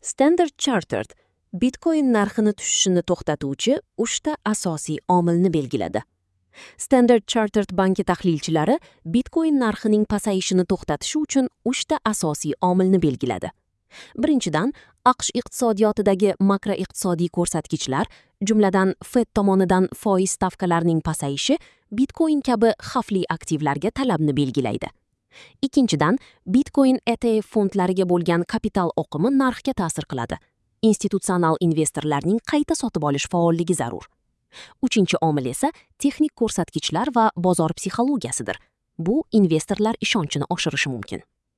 Standard Chartered Bitcoin narxini tushishini to'xtatuvchi uchta asosiy omilni belgiladi. Standard Chartered banki tahlilchilari Bitcoin narxining pasayishini to'xtatishi uchun uchta asosiy omilni belgiladi. Birinchidan, AQSh iqtisodiyotidagi makroiqtisodiy ko'rsatkichlar, jumladan Fed tomonidan foiz stavkalarining pasayishi Bitcoin kabi xavfli aktivlarga talabni belgilaydi. Ikkinchidan, Bitcoin ETF fondlariga bo'lgan kapital oqimi narxga ta'sir qiladi. Institutsional investorlarning qayta sotib olish faolligi zarur. Uchinchi omil esa texnik ko'rsatkichlar va bozor psixologiyasidir. Bu investorlar ishonchini oshirishi mumkin.